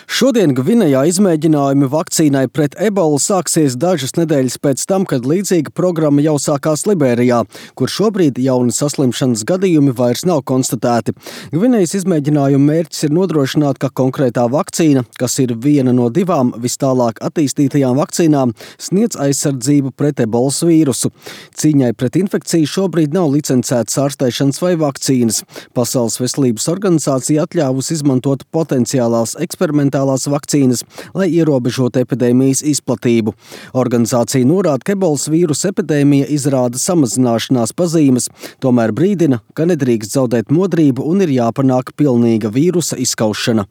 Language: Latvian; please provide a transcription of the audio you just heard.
Šodien Gvinejā izmēģinājumi vakcīnai pret ebolu sāksies dažas nedēļas pēc tam, kad līdzīga programma jau sākās Liberijā, kur šobrīd jauni saslimšanas gadījumi vairs nav konstatēti. Gvinejas izmēģinājuma mērķis ir nodrošināt, ka konkrētā vakcīna, kas ir viena no 2 vistālāk attīstītajām vakcīnām, sniedz aizsardzību pret ebolas vīrusu. Cīņai pret infekciju šobrīd nav licencētas ārstēšanas vai vakcīnas. Pasaules veselības organizācija atļāvusi izmantot potenciālās eksperimentālās vakcīnas, lai ierobežotu epidēmijas izplatību. Organizācija norāda, ka ebolas vīrusa epidēmija izrāda samazināšanās pazīmes, tomēr brīdina, ka nedrīkst zaudēt modrību un ir jāpanāk pilnīga vīrusa izskaušana.